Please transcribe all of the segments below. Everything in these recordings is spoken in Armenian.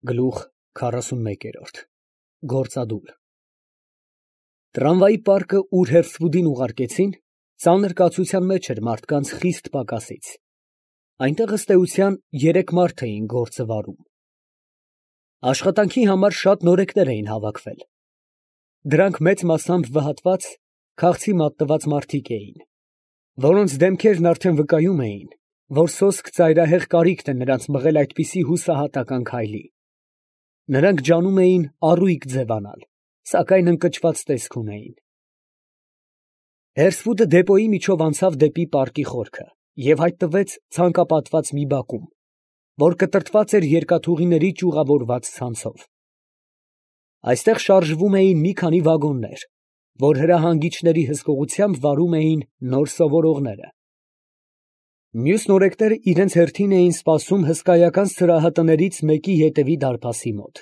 Գլուխ 41 Գործադուլ Տրամվայի պարկը, ուր Հերսվուդին ուղարկեցին, ծանր կացության մեջ էր մարդկանց խիստ պակասից. այնտեղ ըստ էության 3 մարդ էին գործը վարում։ Աշխատանքի համար շատ նորեկներ էին հավաքվել։ Դրանք մեծ մասամբ վհատված, քաղցի մատնված մարդիկ էին, որոնց դեմքերն արդեն վկայում էին, որ սոսկ ծայրահեղ կարիքն է նրանց մղել այդպիսի հուսահատական քայլի։ Նրանք ջանում էին առույգ ձևանալ, սակայն ընկճված տեսք ունեին։ Հերսվուդը դեպոյի միջով անցավ դեպի պարկի խորքը և հայտնվեց ցանկապատված մի բակում, որ կտրտված էր երկաթուղիների ճյուղավորված ցանցով։ Այստեղ շարժվում էին մի քանի վագոններ, որ հրահանգիչների հսկողությամբ վարում էին նոր սովորողները։ Մյուս նորեկները իրենց հերթին էին սպասում հսկայական սրահատներից մեկի ետևի դարպասի մոտ։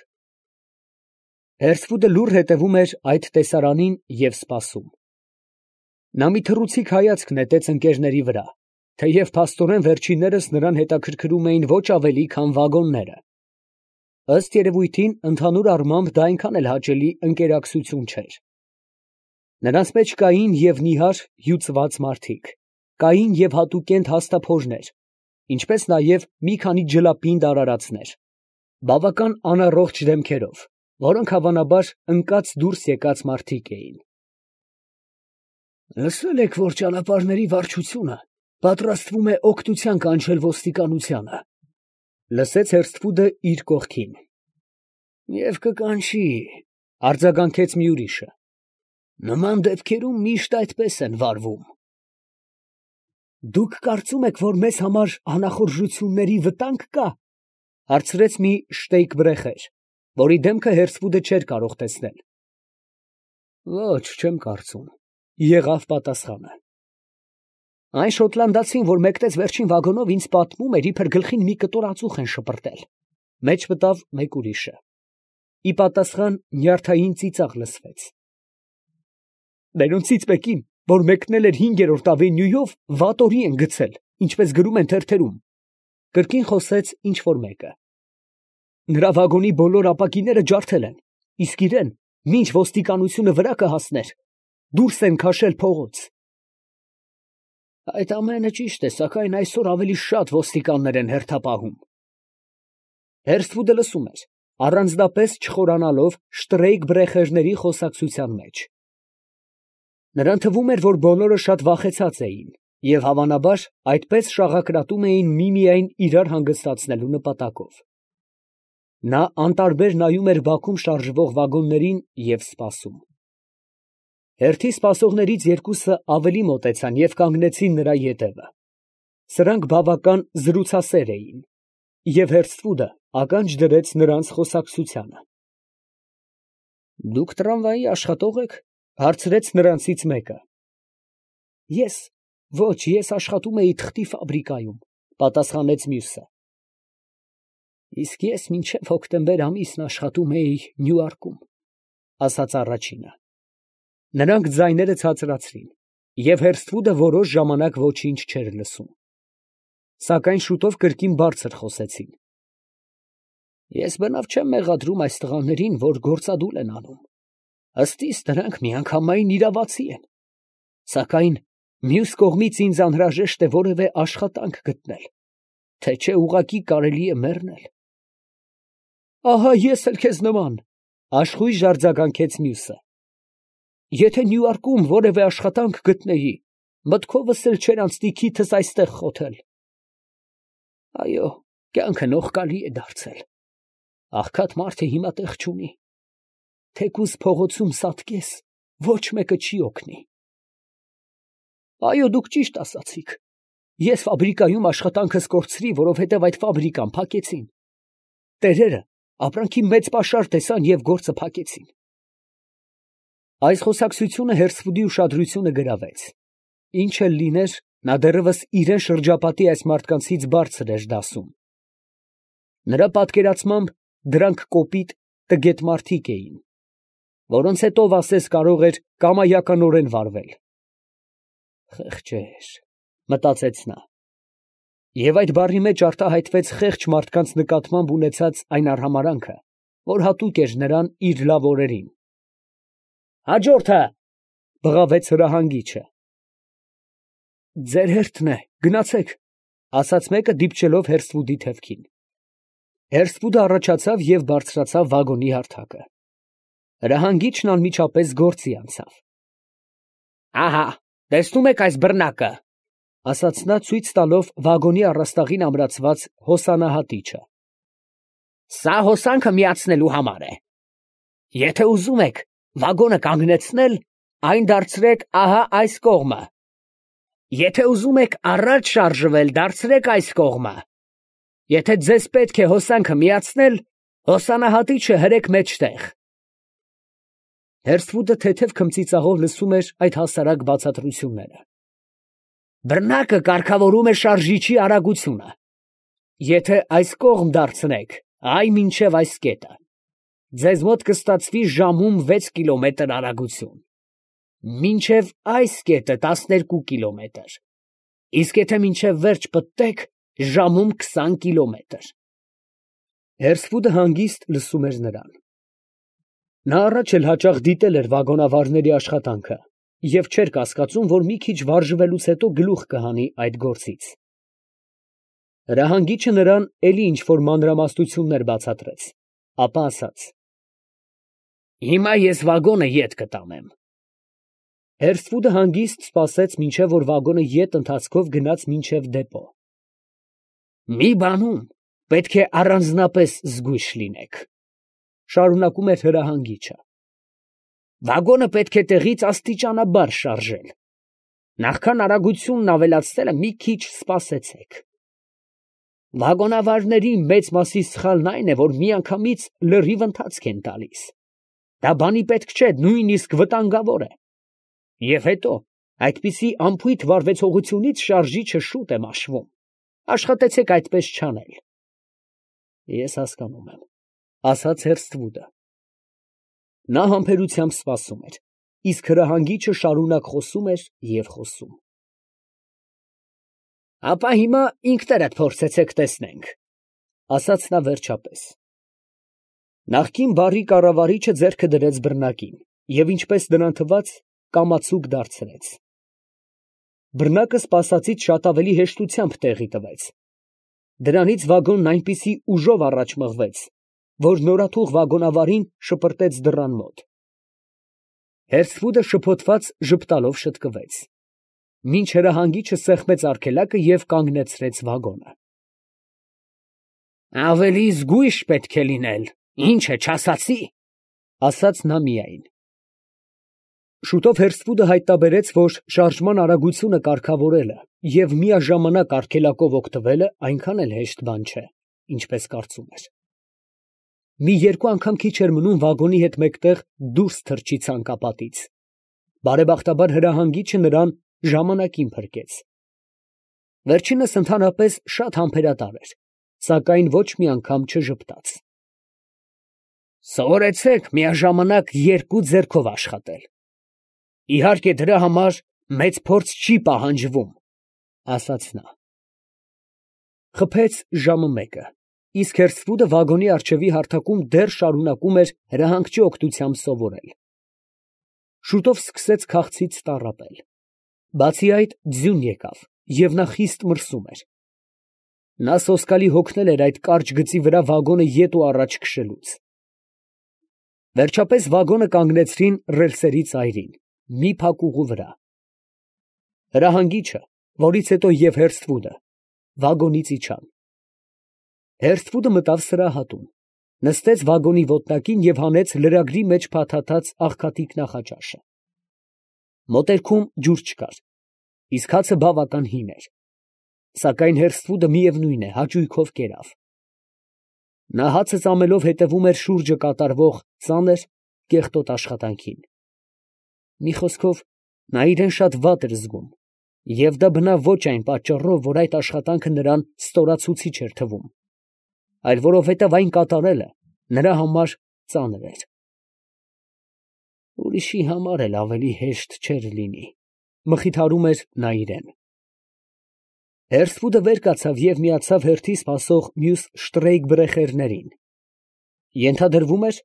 Հերսվուդը լուռ հետևում էր այդ տեսարանին և սպասում։ Նա մի թռուցիկ հայացք նետեց ընկերների վրա, թեև փաստորեն վերջիններս նրան հետաքրքրում էին ոչ ավելի, քան վագոնները։ Ըստ երևույթին, ընդհանուր առմամբ դա այնքան էլ հաճելի ընկերակցություն չէր։ Նրանց մեջ կային և նիհար, հյուծված մարդիկ, կային և հատուկենտ հաստափորներ, ինչպես նաև մի քանի ջլապինդ արարածներ, բավական անառողջ դեմքերով, որոնք հավանաբար ընկած դուրս եկած մարդիկ էին։ Լսել եք, որ ճանապարհների վարչությունը պատրաստվում է օգնության կանչել ոստիկանությանը, լսեց Հերսվուդը իր կողքին։ Եվ կկանչի, արձագանքեց մի ուրիշը։ Նման դեպքերում միշտ այդպես են վարվում։ Դուք կարծում եք, որ մեզ համար անախորժությունների վտանգ կա, հարցրեց մի շտեյկբրեխեր, որի դեմքը Հերսվուդը չէր կարող տեսնել։ Ոչ, չեմ կարծում, եղավ պատասխանը։ Այն շոտլանդացին, որ մեկնեց վերջին վագոնով, ինձ պատմում էր, իբր գլխին մի կտոր ածուխ են շպրտել։ Մեջ մտավ մեկ ուրիշը։ Ի պատասխան նյարդային ծիծաղ լսվեց։ Նրանցից մեկին, որ մեկնել էր 5-րդ ավենյուով, վատորի են գցել, ինչպես գրում են թերթերում, կրկին խոսեց ինչ֊որ մեկը։ Նրա վագոնի բոլոր ապակիները ջարդել են, իսկ իրեն, մինչ ոստիկանությունը վրա կհասներ, դուրս են քաշել փողոց։ Այդ ամենը ճիշտ է, սակայն այսօր ավելի շատ ոստիկաններ են հերթապահում։ Հերսվուդը լսում էր, առանձնապես չխորանալով շտրեյկբրեխերների խոսակցության մեջ։ Նրան թվում էր, որ բոլորը շատ վախեցած էին և հավանաբար այդպես շաղակրատում էին միմիայն իրար հանգստացնելու նպատակով։ Նա անտարբեր նայում էր բաքում շարժվող վագոններին և սպասում։ Հերթի սպասողներից երկուսը ավելի մոտեցան և կանգնեցին նրա ետևը։ Սրանք բավական զրուցասեր էին, և Հերսվուդը ականջ դրեց նրանց խոսակցությանը։ Դուք տրամվայի աշխատող եք, հարցրեց նրանցից մեկը։ Ոչ, ես աշխատում էի թղթի ֆաբրիկայում, պատասխանեց մյուսը։ Իսկ ես մինչև հոկտեմբեր ամիսն աշխատում էի Նյուարկում, ասաց առաջինը։ Նրանք ձայները ցածրացրին, և Հերսվուդը որոշ ժամանակ ոչինչ չէր լսում։ Սակայն շուտով կրկին բարձր խոսեցին։ Ես բնավ չեմ մեղադրում այս տղաներին, որ գործադուլ են անում։ Ըստ իս նրանք միանգամայն իրավացի են։ Սակայն մյուս կողմից ինձ անհրաժեշտ է որևէ աշխատանք գտնել, թե չէ ուղղակի կարելի է մեռնել։ Ահա ես էլ քեզ նման, աշխույժ արձագանքեց մյուսը։ Եթե Նյուարկում որևէ աշխատանք գտնեի, մտքովս էլ չէր անցնի քիթս այստեղ խոթել։ Այո, կյանքը նողկալի է դարձել։ Աղքատ մարդը հիմա տեղ չունի։ Թեկուզ փողոցում սատկես, ոչ մեկը չի օգնի։ Այո, դուք ճիշտ ասացիք։ Ես ֆաբրիկայում աշխատանքս կորցրի, որովհետև այդ ֆաբրիկան փակեցին։ Տերերը ապրանքի մեծ պաշար տեսան և գործը փակեցին։ Այս խոսակցությունը Հերսվուդի ուշադրությունը գրավեց։ Ինչ էլ լիներ, նա դեռևս իրան շրջապատի այս մարդկանցից բարձր էր դասում։ Նրա պատկերացմամբ դրանք կոպիտ, տգետ մարդիկ էին, որոնց հետ ով ասես կարող էր կամայականորեն վարվել։ Խեղճեր, մտածեց նա։ Եվ այդ բառի մեջ արտահայտվեց խեղճ մարդկանց նկատմամբ ունեցած այն արհամարհանքը, որ հատուկ էր նրան իր լավ օրերին։ «Հաջորդը», ֊ բղավեց հրահանգիչը։ «Ձեր հերթն է, գնացեք», ֊ ասաց մեկը, դիպչելով Հերսվուդի թևքին։ Հերսվուդը առաջացավ և բարձրացավ վագոնի հարթակը։ Հրահանգիչն անմիջապես գործի անցավ։ «Ահա, տեսնում եք այս բռնակը», ֊ ասաց նա, ցույց տալով վագոնի առաստաղին ամրացված հոսանահատիչը։ «Սա հոսանքը միացնելու համար է։ Եթե ուզում եք վագոնը կանգնեցնել, այն դարձրեք ահա այս կողմը։ Եթե ուզում եք առաջ շարժվել, դարձրեք այս կողմը։ Եթե ձեզ պետք է հոսանքը միացնել, հոսանահատիչը հրեք մեջտեղ»։ Հերսվուդը թեթև քմծիծաղով լսում էր այդ հասարակ բացատրությունները։ «Բռնակը կարգավորում է շարժիչի արագությունը։ Եթե այս կողմ դարձնեք, այ մինչև այս կետը, ձեզ մոտ կստացվի ժամում 6 կիլոմետր արագություն, մինչև այս կետը 12 կիլոմետր, իսկ եթե մինչև վերջ պտտեք, ժամում 20 կիլոմետր»։ Հերսվուդը հանգիստ լսում էր նրան։ Նա առաջ էլ հաճախ դիտել էր վագոնավարների աշխատանքը և չէր կասկածում, որ մի քիչ վարժվելուց հետո գլուխ կհանի այդ գործից։ Հրահանգիչը նրան էլի ինչ֊որ մանրամասնություններ բացատրեց, ապա ասաց. «Հիմա ես վագոնը ետ կտանեմ»։ Հերսվուդը հանգիստ սպասեց, մինչև որ վագոնը ետ ընթացքով գնաց մինչև դեպո։ «Մի բանում պետք է առանձնապես զգույշ լինեք», ֊ շարունակում էր հրահանգիչը։ «Վագոնը պետք է տեղից աստիճանաբար շարժել։ Նախքան արագությունն ավելացնելը մի քիչ սպասեցեք։ Վագոնավարների մեծ մասի սխալն այն է, որ միանգամից լրիվ ընթացք են տալիս։ Դա բանի պետք չէ, նույնիսկ վտանգավոր է։ Եվ հետո, այդպիսի անփույթ վարվեցողությունից շարժիչը շուտ է մաշվում։ Աշխատեցեք այդպես չանել»։ «Ես հասկանում եմ», ֊ ասաց Հերսվուդը։ Նա համբերությամբ սպասում էր, իսկ հրահանգիչը շարունակ խոսում էր և խոսում։ «Ապա հիմա ինքներդ փորձեցեք տեսնենք», ֊ ասաց նա վերջապես։ Նախկին բարի կառավարիչը ձեռքը դրեց բռնակին և, ինչպես նրան թվաց, կամացուկ դարձրեց։ Բռնակը սպասածից շատ ավելի հեշտությամբ տեղի տվեց։ Դրանից վագոնն այնպիսի ուժով առաջ մղվեց, որ նորաթուխ վագոնավարին շպրտեց դռան մոտ։ Հերսվուդը շփոթված ժպտալով շտկվեց, մինչ հրահանգիչը սեղմեց արգելակը և կանգնեցրեց վագոնը։ «Ավելի զգույշ պետք է լինել, ինչ է, չասացի», ֊ ասաց նա միայն։ Շուտով Հերսվուդը հայտնաբերեց, որ շարժման արագությունը կարգավորելը և միաժամանակ արգելակով օգտվելը այնքան էլ հեշտ բան չէ, ինչպես կարծում էր։ Մի երկու անգամ քիչ էր մնում վագոնի հետ մեկտեղ դուրս թռչի ցանկապատից։ Բարեբախտաբար հրահանգիչը նրան ժամանակին փրկեց։ Վերջինս ընդհանրապես շատ համբերատար էր, սակայն ոչ մի անգամ չժպտաց։ «Սովորեցեք միաժամանակ երկու ձեռքով աշխատել։ Իհարկե դրա համար մեծ փորձ չի պահանջվում», ֊ ասաց նա։ Խփեց ժամը մեկը, իսկ Հերսվուդը վագոնի առջևի հարթակում դեռ շարունակում էր հրահանգչի օգնությամբ սովորել։ Շուտով սկսեց քաղցից տառապել։ Բացի այդ, ձյուն եկավ, և նա խիստ մրսում էր։ Նա սոսկալի հոգնել էր այդ կարճ գծի վրա վագոնը ետ ու առաջ քշելուց։ Վերջապես վագոնը կանգնեցրին ռելսերի ծայրին, մի փակուղու վրա։ Հրահանգիչը, որից հետո և Հերսվուդը, վագոնից իջան։ Հերսվուդը մտավ սրահատուն, նստեց վագոնի ոտնակին և հանեց լրագրի մեջ փաթաթած աղքատիկ նախաճաշը։ Մոտերքում ջուր չկար, իսկ հացը բավական հին էր, սակայն Հերսվուդը, միևնույն է, հաճույքով կերավ։ Նա հացը ծամելով հետևում էր շուրջը կատարվող ծանր, կեղտոտ աշխատանքին։ Մի խոսքով, նա իրան շատ վատ էր զգում, և դա բնավ ոչ այն պատճառով, որ այդ աշխատանքը նրան ստորացուցիչ էր թվում, այլ որովհետև այն կատարելը նրա համար ծանր էր։ Ուրիշի համար էլ ավելի հեշտ չէր լինի, մխիթարում էր նա իրան։ Հերսվուդը վեր կացավ և միացավ հերթի սպասող մյուս շտրեյկբրեխերներին. ենթադրվում էր,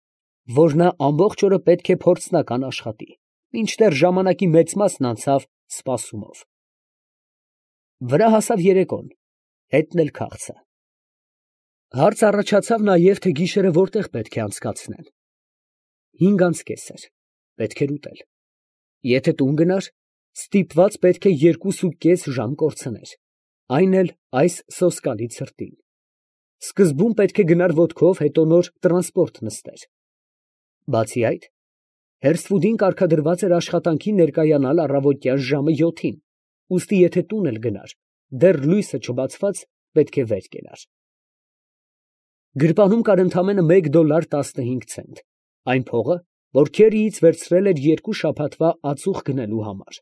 որ նա ամբողջ օրը պետք է փորձնական աշխատի, մինչդեռ ժամանակի մեծ մասն անցավ սպասումով։ Վրա հասավ երեկոն, հետն էլ քաղցը։ Հարց առաջացավ նաև, թե գիշերը որտեղ պետք է անցկացնեն։ 5:30 էր, պետք էր ուտել։ Եթե տուն գնար, ստիպված պետք է 2.5 ժամ կորցներ, այն էլ այս սոսկալի ցրտին։ Սկզբում պետք է գնար ոտքով, հետո նոր տրանսպորտ նստեր։ Բացի այդ, Հերսվուդին կարգադրված էր աշխատանքին ներկայանալ առավոտյան ժամը 7-ին, ուստի եթե տուն էլ գնար, դեռ լույսը չբացված պետք է վեր կենար։ Գրպանում կար ընդամենը $1.15, այն փողը, որ Քերիից վերցրել էր 2 շաբաթվա ածուխ գնելու համար։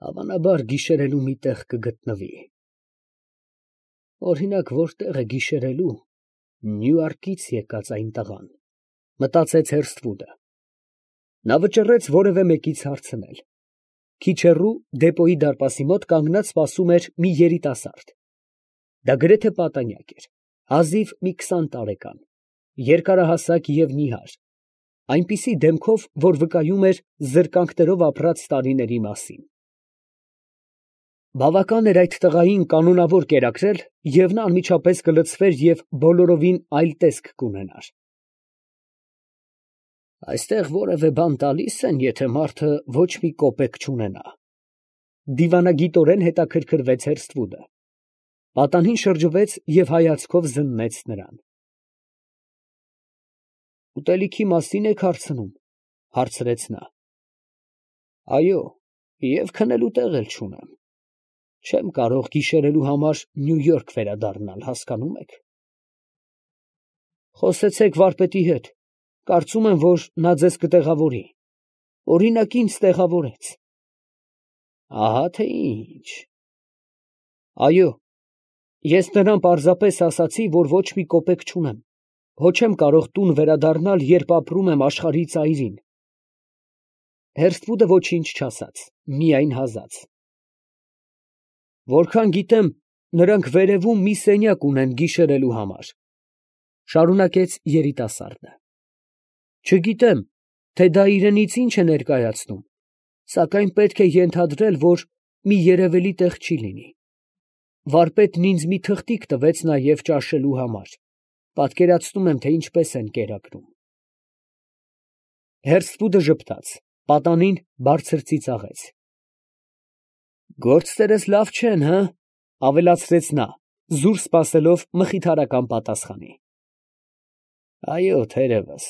Հավանաբար գիշերելու մի տեղ կգտնվի։ Օրինակ, որտեղ է գիշերելու Նյույորքից եկած այն տղան, մտածեց Հերսթվուդը։ Նա վճռեց որևէ մեկից հարցնել։ Քիչ հեռու դեպոյի դարպասի մոտ կանգնած սպասում էր մի երիտասարդ։ Դա գրեթե պատանյակ էր, հազիվ մի 20 տարեկան, երկարահասակ և նիհար, այնպիսի դեմքով, որ վկայում էր զրկանքներով ապրած տարիների մասին։ Բավական էր այդ տղային կանոնավոր կերակրել, և նա անմիջապես կլցվեր և բոլորովին այլ տեսք կունենար։ Այստեղ որևէ բան տալի՞ս են, եթե մարդը ոչ մի կոպեկ չունենա։ Դիվանագիտորեն հետաքրքրվեց Հերսթվուդը։ Պատանին շրջվեց և հայացքով զննեց նրան։ Ուտելիքի մասին եք հարցնում, հարցրեց նա։ Այո, և քնելու տեղ էլ չունեմ։ Չեմ կարող գիշերելու համար Նյույորք վերադառնալ, հասկանում եք։ Խոսեցեք վարպետի հետ, կարծում եմ, որ նա ձեզ կտեղավորի, օրինակ ինձ տեղավորեց։ Ահա թե ինչ։ Այո, ես նրան պարզապես ասացի, որ ոչ մի կոպեկ չունեմ, հո չեմ կարող տուն վերադառնալ, երբ ապրում եմ աշխարհի ծայրին։ Հերսթվուդը ոչինչ չասաց, միայն հազաց։ Որքան գիտեմ, նրանք վերևում մի սենյակ ունեն գիշերելու համար, շարունակեց երիտասարդը։ Չգիտեմ, թե դա իրենից ինչ է ներկայացնում, սակայն պետք է ենթադրել, որ մի երևելի տեղ չի լինի։ Վարպետն ինձ մի թղթիկ տվեց նաև ճաշելու համար, պատկերացնում եմ, թե ինչպես են կերակրում։ Հերսթվուդը ժպտաց, պատանին բարձր ծիծաղեց։ Գործերս լավ չեն, հը՞, ավելացրեց նա, զուր սպասելով մխիթարական պատասխանի։ Այո, թերևս,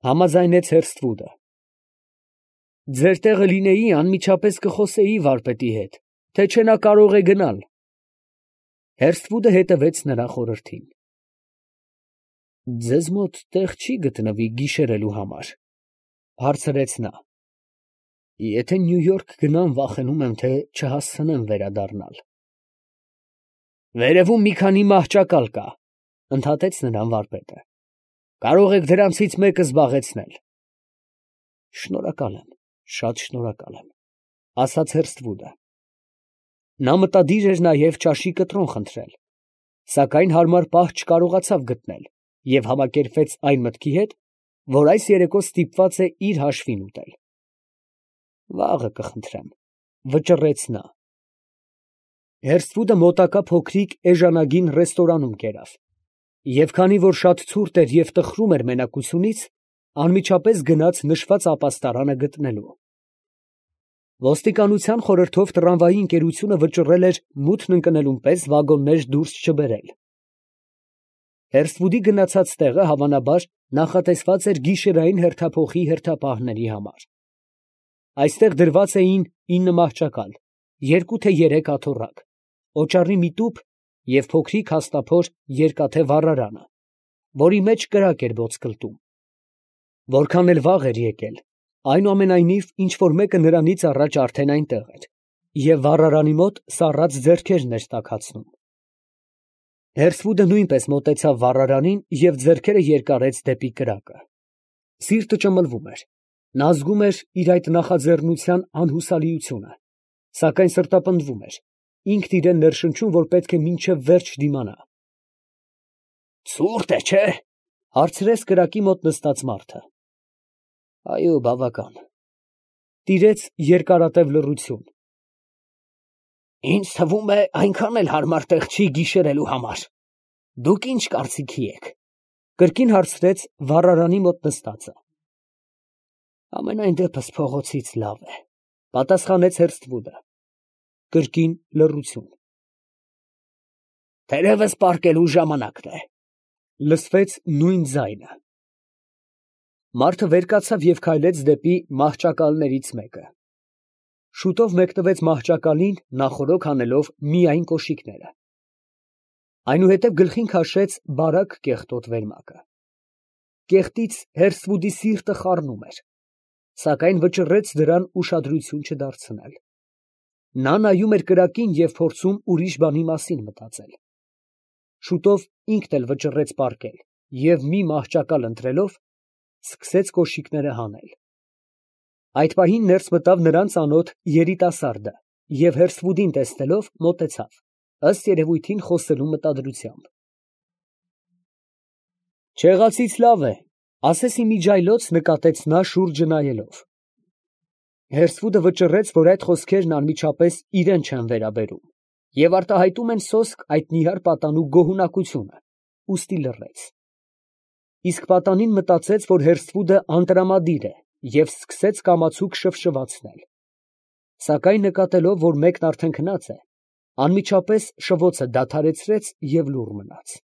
համաձայնեց Հերսթվուդը։ Ձեր տեղը լինեի, անմիջապես կխոսեի վարպետի հետ, թե չէ նա կարող է գնալ։ Հերսթվուդը հետևեց նրա խորհրդին։ Ձեզ մոտ տեղ չի գտնվի գիշերելու համար, հարցրեց նա։ Եթե Նյույորք գնամ, վախենում եմ, թե չհասցնեմ վերադառնալ։ Վերևում մի քանի մահճակալ կա, ընդհատեց նրան վարպետը։ Կարող եք դրանցից մեկը զբաղեցնել։ Շնորհակալ եմ, շատ շնորհակալ եմ, ասաց Հերսթվուդը։ Նա մտադիր էր նաև ճաշի կտրոն խնդրել, սակայն հարմար պահ չկարողացավ գտնել և համակերպվեց այն մտքի հետ, որ այս երեկո ստիպված է իր հաշվին ուտել։ Վաղը կխնդրեմ, վճռեց նա։ Հերսթվուդը մոտակա փոքրիկ էժանագին ռեստորանում կերավ, և քանի որ շատ ցուրտ էր և տխրում էր մենակությունից, անմիջապես գնաց նշված ապաստարանը գտնելու։ Ոստիկանության խորհրդով տրամվայի ընկերությունը վճռել էր մութն ընկնելուն պես վագոններ դուրս չբերել։ Հերսթվուդի գնացած տեղը հավանաբար նախատեսված էր գիշերային հերթափոխի հերթապահների համար։ Այստեղ դրված էին 9 մահճակալ, 2 թե 3 աթոռակ, օճառի մի տուփ և փոքրիկ հաստափոր երկաթե վառարանը, որի մեջ կրակ էր ոսկլտում։ Որքան էլ վաղ էր եկել, այնուամենայնիվ ինչ֊որ մեկը նրանից առաջ արդեն այնտեղ էր և վառարանի մոտ սառած ձեռքերն էր տաքացնում։ Հերսթվուդը նույնպես մոտեցավ վառարանին և ձեռքերը երկարեց դեպի կրակը։ Սիրտը ճմլվում էր, նա զգում էր իր այդ նախաձեռնության անհուսալիությունը, սակայն սրտապնդվում էր, ինքն իրեն ներշնչում, որ պետք է մինչև վերջ դիմանա։ Ցուրտ է, չէ՞, հարցրեց կրակի մոտ նստած մարդը։ Այո, բավական։ Տիրեց երկարատև լռություն։ Ինձ թվում է, այնքան էլ հարմար տեղ չի գիշերելու համար։ Դուք ինչ կարծիքի եք։ Կրկին հարցրեց վառարանի մոտ նստածը։ Ամենայն դեպս փողոցից լավ է, պատասխանեց Հերսթվուդը։ Կրկին լռություն։ Թերևս պառկելու ժամանակն է, լսվեց նույն ձայնը։ Մարդը վեր կացավ և քայլեց դեպի մահճակալներից մեկը։ Շուտով մեկնվեց մահճակալին, նախօրոք անելով միայն կոշիկները։ Այնուհետև գլխին քաշեց բարակ կեղտոտ վերմակը։ Կեղտից Հերսթվուդի սիրտը խառնում էր, սակայն վճռեց դրան ուշադրություն չդարձնել։ Նա նայում էր կրակին և փորձում ուրիշ բանի մասին մտածել։ Շուտով ինքն էլ վճռեց պառկել և մի մահճակալ ընտրելով, սկսեց կոշիկները հանել։ Այդ պահին ներս մտավ նրան ծանոթ երիտասարդը և Հերսթվուդին տեսնելով մոտեցավ, ըստ երևույթին խոսելու մտադրությամբ։ Չեղածից լավ է, ասես ի միջիայլոց նկատեց նա շուրջը նայելով։ Հերսթվուդը վճռեց, որ այդ խոսքերն անմիջապես իրան չեն վերաբերում և արտահայտում են սոսկ այդ նիհար պատանու գոհունակությունը, ուստի լռեց։ Իսկ պատանին մտածեց, որ Հերսթվուդը անտրամադիր է և սկսեց կամացուկ շվշվացնել։ Սակայն նկատելով, որ մեկն արդեն քնած է, անմիջապես շվոցը դադարեցրեց և լուռ մնաց։